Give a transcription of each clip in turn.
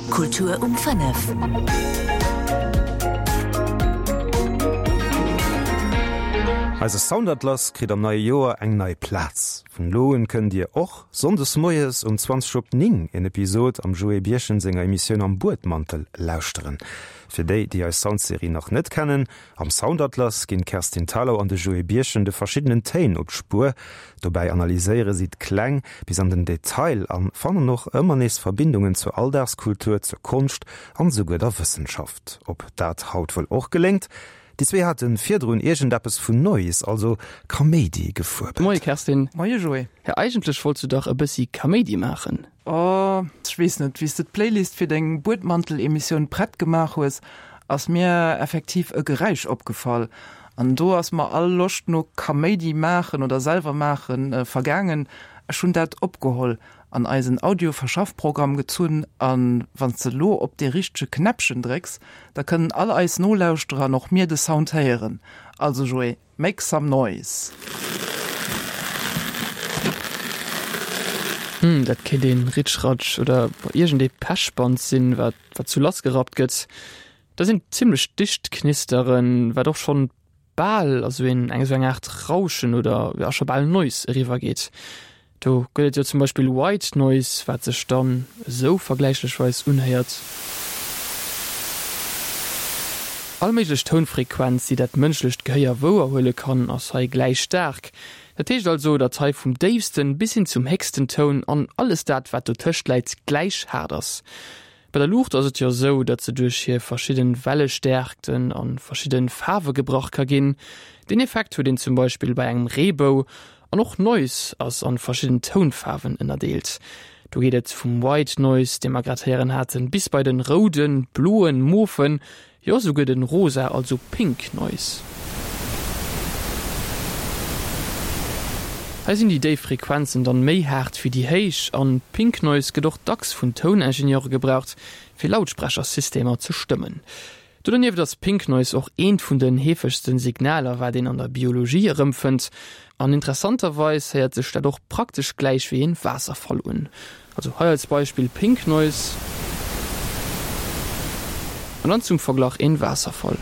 Kultur um 5. Eise Soundatlas kritt am neie Joer eng nei Plaz. Vun elo un kënnt Dir och sonndes moies um 20 op 9 en Episod am Joé Birchen senger Emissioun Am Buedmantel lauschteren. Fir déi, déi eis Soundserie nach net kennen, Am Soundatlas ginn d'Kerstin Thalau an de Joé Birchen de verschiddenen Téin op d'Spuer. Dobäi analyséiere si d'Kläng bis an den Detail a fannen och ëmmer nees Verbindungen zur Alldagskultur, zur Konscht an esouguer der Wëssenschaft. Ob dat haut wuel och geléngt? Déi zwee hate virdrun iergendeppes vun Noise, also Kaméidi, gefuerbelt. Moie Kerstin. Moie Joé. Hä, eigentlech wollts du dach e bëssi Kaméidi maachen? Oh, ech weess net. Wéi s de d'Playlist fir deng Buedmantel-Emissioun prett gemaach hues, ass mir effektiv e Geräisch opgefall. An do ass mer all Loscht no Kaméidi maachen oder selwer maachen vergaangen. Ech hunn dat opgeholl, an eisen Audio-Verschaffprogramm gezunn a wann s de elo op dee richtege Knäppchen drécks, da kënnen all eis Nolauschterer an och mir de Sound héieren. Also Joé, make some noise! Hm, dat kéint een Ritschratsch oder iergend ee Pechband sinn, wat wat sou lassgerappt gëtt. Dat sinn zimlech dicht Knisteren, wat och schonn bal a sou een eng sou eng Aart Rauschen oder jo scho bal Noise eriwwer geet. Do gëtt et jo zum Beispill White Noise, wat sech dann esou vergläichlecherweis unhéiert. All méiglech Tounfrequenz, déi dat mënschlecht Gehéier wouerhuele kann, ass hei gläich staark. Dat heescht also, datt hei vum déifsten bis hin zum héchsten Toun an alles dat, wat dotëscht läit, gläich haart ass. Bei der Luucht ass et jo esou, datt se duerch hir verschidden Wellestäerkten an verschidden Faarwe gebrach ka ginn. Deen Effekt huet een zum Beispill bei engem Reebou. An och Noise ass an verschidden Tounfaarwen ënnerdeelt. Do geet et vum White Noise, dee mer grad héieren haten, bis bei den rouden, bloen, mofen, Jo, souguer den rosa, also pink Noise. Hei sinn déi déif Frequenzen dann méi haart wéi déi héich, an Pink Noise gëtt och dacks vun Touningenieure gebraucht fir Lautsprechersystemer ze stëmmen. Do donieft ass Pink Noise och eent vun den heefegsten Signaler wat een an der Biologie erëmfënnt, an interessanterweis héiert sech dat och praktesch gläich wéi een Waasserfall un. Also hei als Beispill Pink Noise an dann zum Verglach een Waasserfall.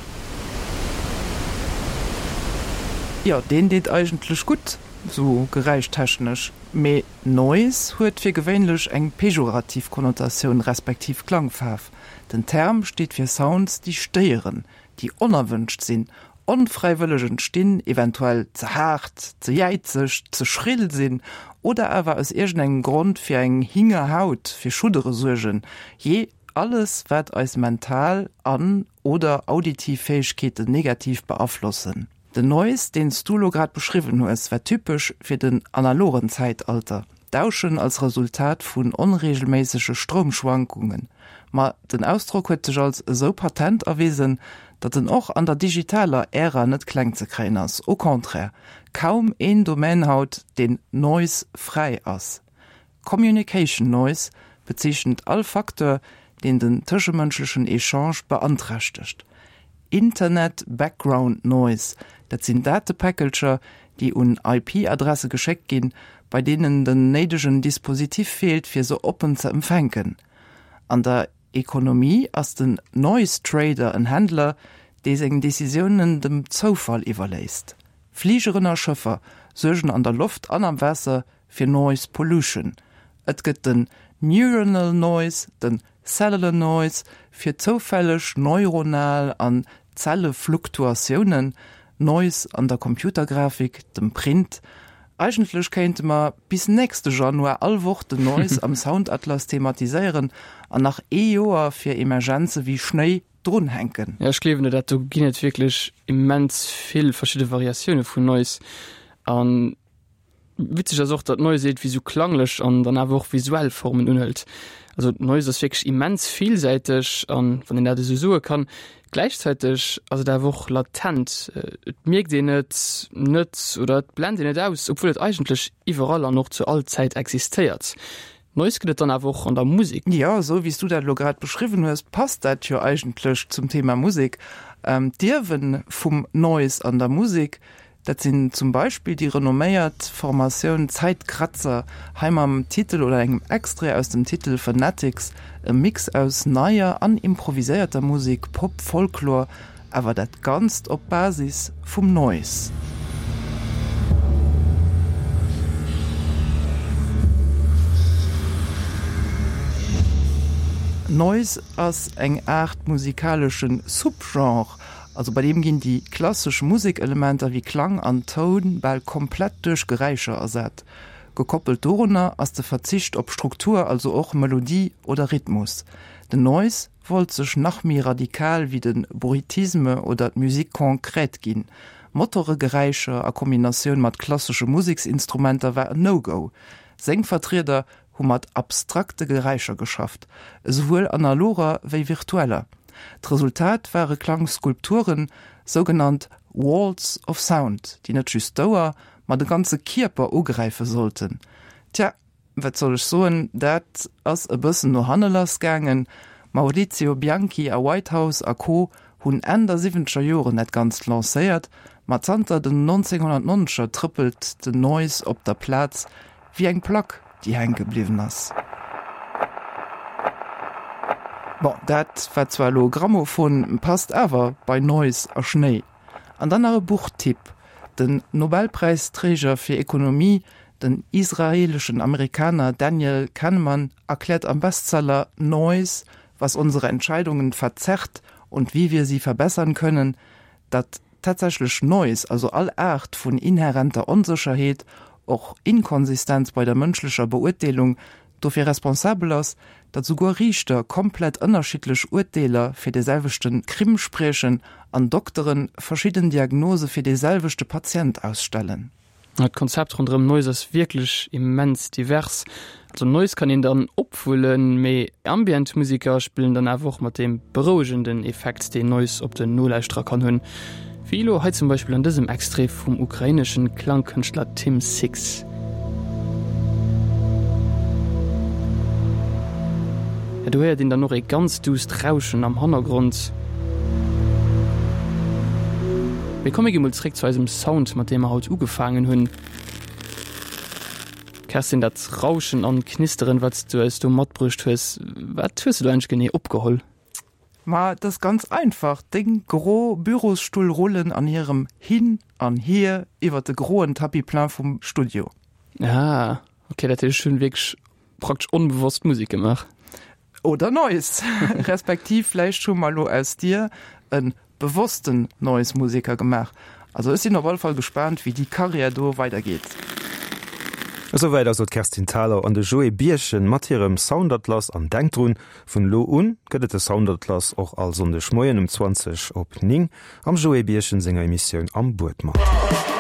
Jo, deen deet eigentlech gutt, sou geräischtechnesch, mee Noise huet fir gewéinlech eng pejorativ Konnotatioun respektiv Klangfaarf. Den Term steet fir Sounds, déi stéieren, déi onerwënscht sinn, onfräiwëlleg entstinn, eventuell ze haart, ze jäizeg, ze schrill sinn oder awer aus iergendengem Grond fir eng Hingerhaut, fir Schuddere suergen, jee, alles wat eis mental an oder auditiv Fäegkeeten negativ beaflossen. Den Noise, deen s du lo grad beschriwwen hues, war typesch fir den analogen Zäitalter, Dauschen als Resultat vun onreegelméissege Stroumschwankungen. Ma den Ausdrock huet sech als esou patent erwisen, datt en och an der digitaler Ära net kleng ze kréien ass. Au contraire, kaum een Domaine haut, deen noise-fräi ass. Communication Noise bezeechent all Facteur, deen den tëschemënschlechen Echange beanträchtegt. Internet Background Noise, dat sinn Datepäckelcher, déi un IP-Adresse geschéckt ginn, bei deenen den néidegen Dispositif feelt, fir se oppen ze empfänken. An der Ekonomie ass den Noise Trader en Händler, dee seng Decisiounen dem Zoufall iwwerléisst. Fligeren a Schëffer suergen an der Loft an am Waasser fir Noise Pollution. Et gëtt den Neuronal Noise, den Cellular Noise fir zoufälleg neuronal an Zellefluktuatiounen, Noise an der Computergrafik, dem Print. Eigentlech kéinte mer bis nächste Januar all Woch den Noise am Soundatlas thematiséieren an nach ee Joer fir Emergenze wéi Schnéi drunhänken. Jo, ech gleewen der dat. Do ginn et wierklech immens vill verschidde Variatioune vun Noise an Witzeg ass och, datt Noise iergendwéi sou klanglech an dann awer och visuell Formen unhëlt. Also Noise ass wierklech immens villsäiteg an, wann een dat esou soe kann, gläichzäiteg ass et awer och latent. Et mierkt een et net oder et blent een et aus, obwuel et eigentlech iwwerall an och zu all Zäit existéiert. Noise gëtt et dann awer och an der Musek. Jo, esou wéi s du dat elo grad beschriwwen hues, passt dat jo eigentlech zum Thema Musek. D'Ierwen vum Noise an der Musek. Dat sinn zum Beispill déi renomméiert Formatioun Zeitkratzer, hei mam Titel oder engem Extrait aus dem Titel Fanatics, e Mix aus neier an improviséierter Musek, Pop, Folklor, awer dat Ganzt op Basis vum Noise. Noise ass eng Aart musikalesche Subgenre, also bei deem ginn déi klassesch Musekelementer wéi Klang an Toun bal komplett duerch Geräischer ersat. Gekoppelt dorunner ass de Verzicht op Struktur, also och Melodie oder Rhythmus. Den Noise wollt sech nach méi radikal wéi de Bruitisme oder d'Musique concrète ginn. Motoregeräischer a Kombinatioun mat klassesche Museksinstrumenter war en No-Go. Seng Vertrieder hu mat abstrakte Geräischer geschafft, esouwuel analoger wéi virtueller. D'Resultat ware Klangskulpturen, sougenannt Walls of Sound, déi net just d'Ouer, ma de ganze Kierper ugräife sollten. Tja, Wat soll ech soen, dat ass e bëssen no hanne lass gaangen. Maurizio Bianchi a Whitehouse a Co. Hunn Enn der siwwenzeger Joren dat Ganzt lancéiert, ma zanter den 1990er trëppelt den Noise op der Plaz wéi eng Plack, déi hänke bliwwen ass. Bon, dat war zwar elo e Grammophon, passt awer bei Noise a Schnéi. An dann nach e Buchtipp, Den Nobelpräisträger fir Ekonomie, den israeleschen Amerikaner Daniel Kahneman erkläert am Bestseller Noise, was unsere Entscheidungen verzerrt und wie wir sie verbessern können, datt tatsächlech Noise, also all Aart vun inhärenter Onsécherheet, och Inkonsistenz bei der mënschlecher Beurteelung, dofir responsabel ass, datt souguer Riichter komplett ënnerschiddlech Urteeler fir de selwechte Crime spriechen an Doktere verschidden Diagnose fir de selwechte Patient ausstellen. D'Konzept ronderëm Noise ass wierklech immens divers. Also Noise kann een dann opwullen, mee Ambient Museker spillen dann awer och mat deem berouegenden Effekt, deen Noise op den Nolauschterer kann hunn. Wéi elo hei zum Beispill an dësem Extrait vum ukraineschen Klangkënschtler Tim Six. Ja, do héiert een dann och ee ganz duusst Rauschen am Hannergrond. Mee komm mir gi mol zréck zu eisem Sound, mat deem mer haut ugefaangen hunn. Kerstin, dat Rauschen an Knisteren, wat s du eis do matbruecht hues, wat hues du do eigentlech genee opgeholl? Ma et ass ganz einfach, Deng gro Bürosstull rullen an hirem Hin an Hier iwwer de groen Tapis plein vum Studio. Ah, ok, dat heescht, ech hunn wierklech praktesch onbewosst Musek gemaach. Oder Noise, respektiv vläicht hu mer elo aus dir e bewossten Noise-Museker gemaach. Also ech sinn op alle Fall gespaant, wéi déi Karriär do weidergeet. Esouwäit also d'Kerstin Thalau an de Joé Birchen mat hirem Soundatlas. An denkt drun, Vun elo un gëtt et de Soundatlas och all Sonndeg Moien um 20 op 9 am Joé Birchen senger Emissioun Am Buedmantel.